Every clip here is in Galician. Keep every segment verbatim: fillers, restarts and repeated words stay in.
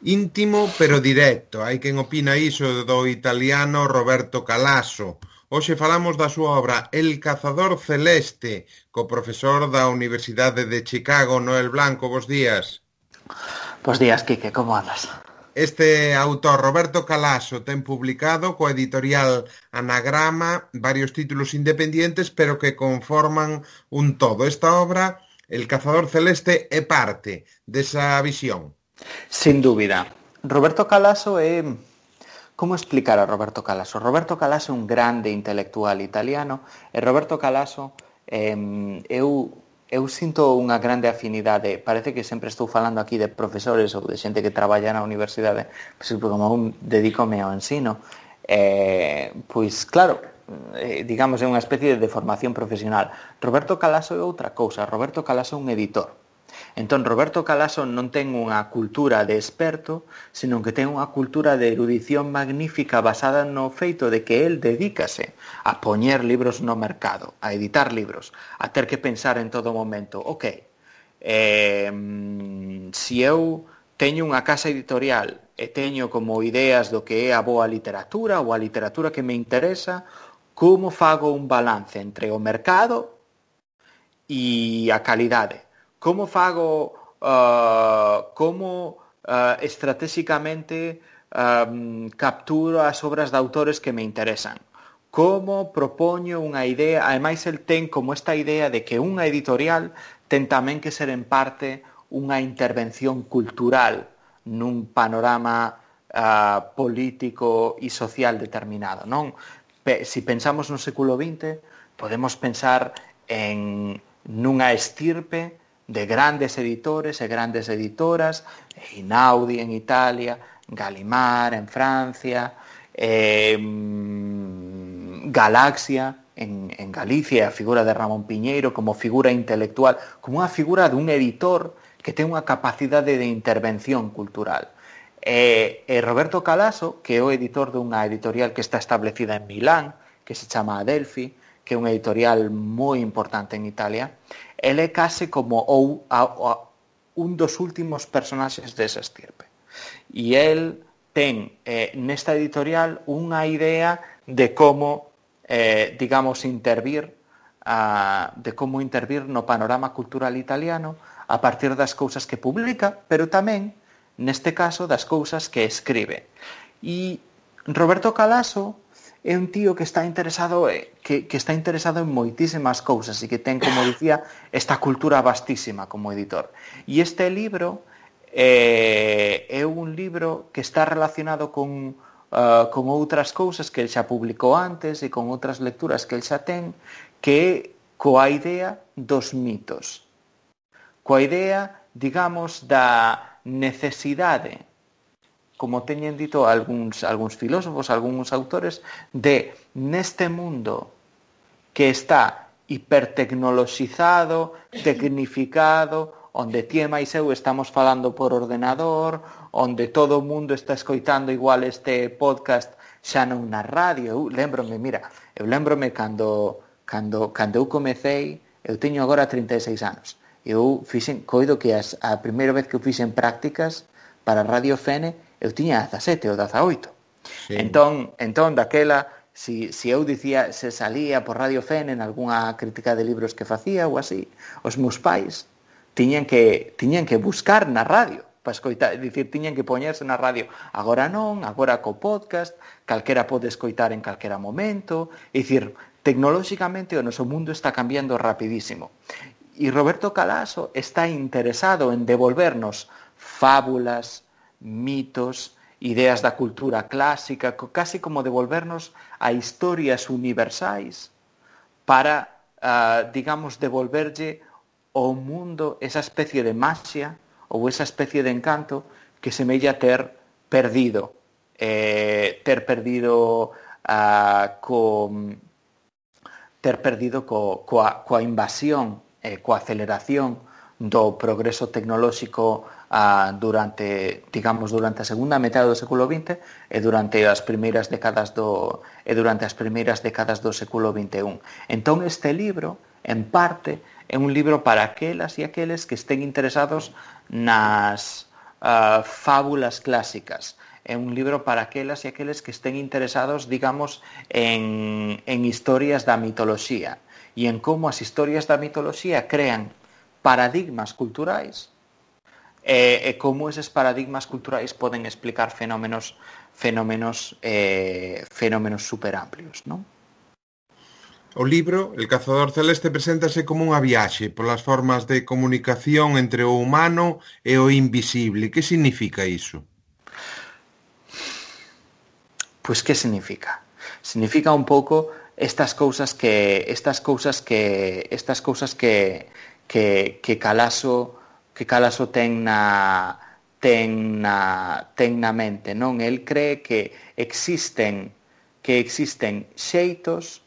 Íntimo pero directo. Hai quen opina iso do italiano Roberto Calasso. Hoxe falamos da súa obra El cazador celeste, co profesor da Universidade de Chicago, Noel Blanco. Bos días. Buenos días, Quique, ¿cómo andas? Este autor, Roberto Calasso, ten publicado coa editorial Anagrama varios títulos independientes, pero que conforman un todo. Esta obra, El cazador celeste, é parte desa visión. Sin dúbida. Roberto Calasso é... Como explicar a Roberto Calasso? Roberto Calasso é un grande intelectual italiano e Roberto Calasso eh, eu, eu sinto unha grande afinidade. Parece que sempre estou falando aquí de profesores ou de xente que traballa na universidade, pois como un dedícome ao ensino. Eh, pois claro, eh, digamos é unha especie de formación profesional. Roberto Calasso é outra cousa. Roberto Calasso é un editor. Entón, Roberto Calasso non ten unha cultura de experto, senón que ten unha cultura de erudición magnífica basada no feito de que el dedícase a poñer libros no mercado, a editar libros, a ter que pensar en todo momento, ok, eh, si eu teño unha casa editorial e teño como ideas do que é a boa literatura ou a literatura que me interesa, como fago un balance entre o mercado e a calidade? Como fago, uh, como uh, estratégicamente um, capturo as obras de autores que me interesan? Como propoño unha idea? Ademais, el ten como esta idea de que unha editorial ten tamén que ser en parte unha intervención cultural nun panorama uh, político e social determinado, non? Pe- si pensamos no século vinte, podemos pensar en nunha estirpe de grandes editores e grandes editoras, Einaudi en Italia, Gallimard en Francia, eh, Galaxia en, en Galicia, a figura de Ramón Piñeiro como figura intelectual, como unha figura dun editor que ten unha capacidade de intervención cultural. E, e Roberto Calasso, que é o editor dunha editorial que está establecida en Milán, que se chama Adelphi, que é unha editorial moi importante en Italia, ele é case como ou, a, a, un dos últimos personaxes desa estirpe. E el ten eh, nesta editorial unha idea de como, eh, digamos, intervir, a, de como intervir no panorama cultural italiano a partir das cousas que publica, pero tamén, neste caso, das cousas que escribe. E Roberto Calasso é un tío que está interesado que, que está interesado en moitísimas cousas e que ten, como dicía, esta cultura vastísima como editor. E este libro eh, é un libro que está relacionado con, uh, con outras cousas que el xa publicou antes e con outras lecturas que el xa ten, que é coa idea dos mitos. Coa idea, digamos, da necesidade, como teñen dito algúns, algúns filósofos, algúns autores, de neste mundo que está hipertecnoloxizado, tecnificado, onde ti e máis eu estamos falando por ordenador, onde todo o mundo está escoitando igual este podcast xa non na radio. Eu lembrome, mira, eu lembrome cando, cando, cando eu comecei, eu teño agora trinta e seis anos, eu fixen, coido que as, a primeira vez que eu fixen prácticas para Radio Fene, eu tiña dezasete ou dezaoito. Sí. Entón, entón daquela, si, si eu dicía, se salía por Radio Fene en algunha crítica de libros que facía ou así, os meus pais tiñan que, tiñan que buscar na radio para escoitar, dicir, tiñan que poñerse na radio. Agora non, agora co podcast, calquera pode escoitar en calquera momento, é dicir, tecnolóxicamente o noso mundo está cambiando rapidísimo. E Roberto Calasso está interesado en devolvernos fábulas, mitos, ideas da cultura clásica, casi como devolvernos a historias universais para, uh, digamos, devolverlle ao mundo esa especie de magia ou esa especie de encanto que semella ter perdido, eh, ter perdido uh, co, ter perdido co, coa, coa invasión, eh, coa aceleración do progreso tecnolóxico Uh, durante, digamos, durante a segunda metade do século vinte e durante as primeiras décadas do e durante as primeiras décadas do século vinte e un. Entón este libro, en parte, é un libro para aquelas e aqueles que estén interesados nas uh, fábulas clásicas. É un libro para aquelas e aqueles que estén interesados, digamos, en, en historias da mitoloxía e en como as historias da mitoloxía crean paradigmas culturais e, e como eses paradigmas culturais poden explicar fenómenos fenómenos eh, fenómenos superamplios, non? O libro, El cazador celeste, preséntase como unha viaxe polas formas de comunicación entre o humano e o invisible. Que significa iso? Pois que significa? Significa un pouco estas cousas que estas cousas que estas cousas que que que Calaso que Calaso ten na ten na ten na mente, non? El cree que existen que existen xeitos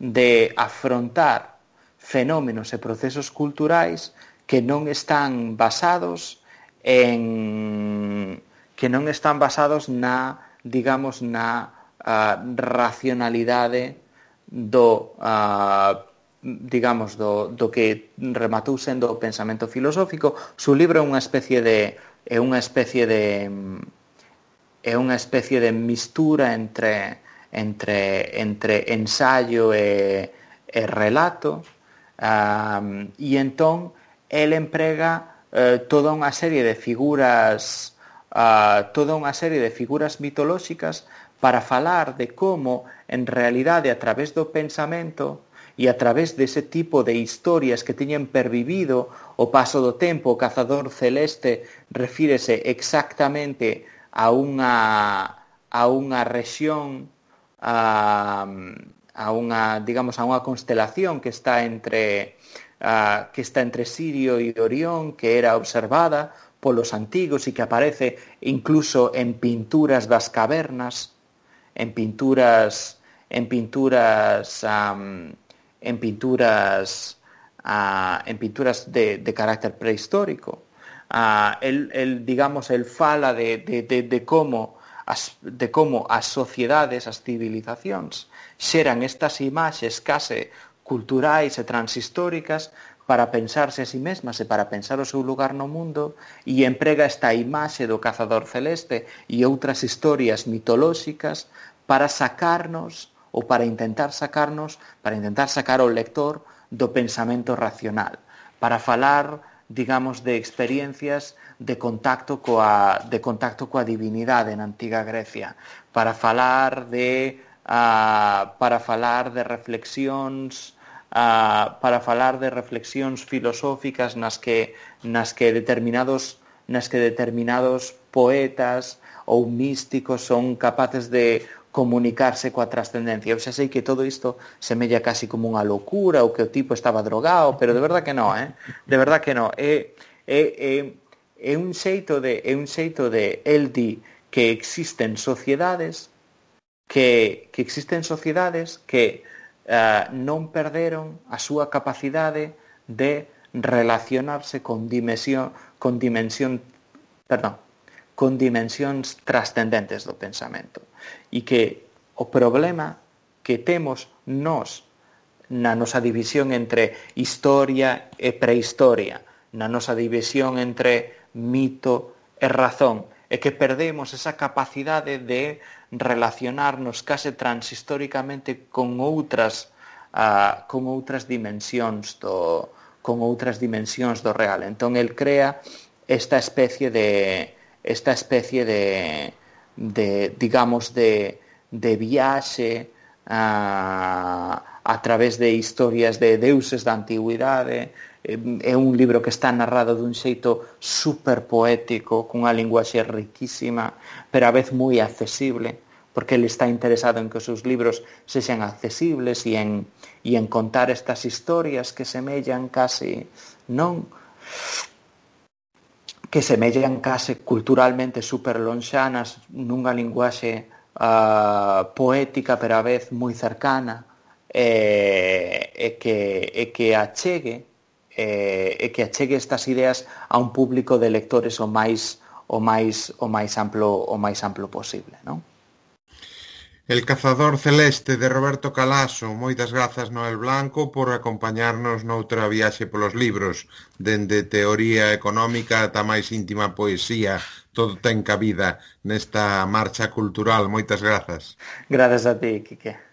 de afrontar fenómenos e procesos culturais que non están basados en que non están basados na, digamos, na uh, racionalidade do uh, digamos do, do que rematou sendo o pensamento filosófico. Su libro é unha especie de é unha especie de é unha especie de mistura entre entre entre ensayo e, e relato, um, e entón el emprega eh, toda unha serie de figuras uh, toda unha serie de figuras mitolóxicas para falar de como en realidade a través do pensamento e a través dese tipo de historias que teñen pervivido o paso do tempo. O cazador celeste refírese exactamente a unha a unha rexión a, a unha, digamos, a unha constelación que está entre uh, que está entre Sirio e Orión, que era observada polos antigos e que aparece incluso en pinturas das cavernas, en pinturas en pinturas um, en pinturas uh, en pinturas de, de carácter prehistórico. Uh, el, el, digamos, el fala de, de, de, de como As, de como as sociedades, as civilizacións xeran estas imaxes case culturais e transhistóricas para pensarse a si mesmas e para pensar o seu lugar no mundo, e emprega esta imaxe do cazador celeste e outras historias mitolóxicas para sacarnos ou para intentar sacarnos, para intentar sacar ao lector do pensamento racional, para falar, digamos, de experiencias de contacto coa de contacto coa divinidade na antiga Grecia, para falar de uh, para falar de reflexións uh, para falar de reflexións filosóficas nas que nas que determinados nas que determinados poetas ou místicos son capaces de comunicarse coa trascendencia. Eu xa sei que todo isto semella casi como unha locura ou que o tipo estaba drogado, pero de verdad que non, eh? De verdad que non. É, é, é, é un xeito de é un xeito de el di que existen sociedades que, que existen sociedades que uh, non perderon a súa capacidade de relacionarse con dimensión con dimensión, perdón, con dimensións trascendentes do pensamento, e que o problema que temos nós na nosa división entre historia e prehistoria, na nosa división entre mito e razón, é que perdemos esa capacidade de relacionarnos case transhistóricamente con outras uh, con outras dimensións do con outras dimensións do real. Entón el crea esta especie de esta especie de, de digamos, de, de viaxe a, a través de historias de deuses da antigüidade. É un libro que está narrado dun xeito super poético, cunha linguaxe riquísima, pero a vez moi accesible, porque ele está interesado en que os seus libros sexan accesibles e en, e en contar estas historias que semellan case, non? que semellan case culturalmente super lonxanas nunha linguaxe uh, poética, pero a vez moi cercana, e, e, que, e que achegue e, e que achegue estas ideas a un público de lectores o máis o máis o máis amplo o máis amplo posible, non? El cazador celeste de Roberto Calaso. Moitas grazas, Noel Blanco, por acompañarnos noutra viaxe polos libros, dende teoría económica ata máis íntima poesía. Todo ten cabida nesta marcha cultural. Moitas grazas. Grazas a ti, Quique.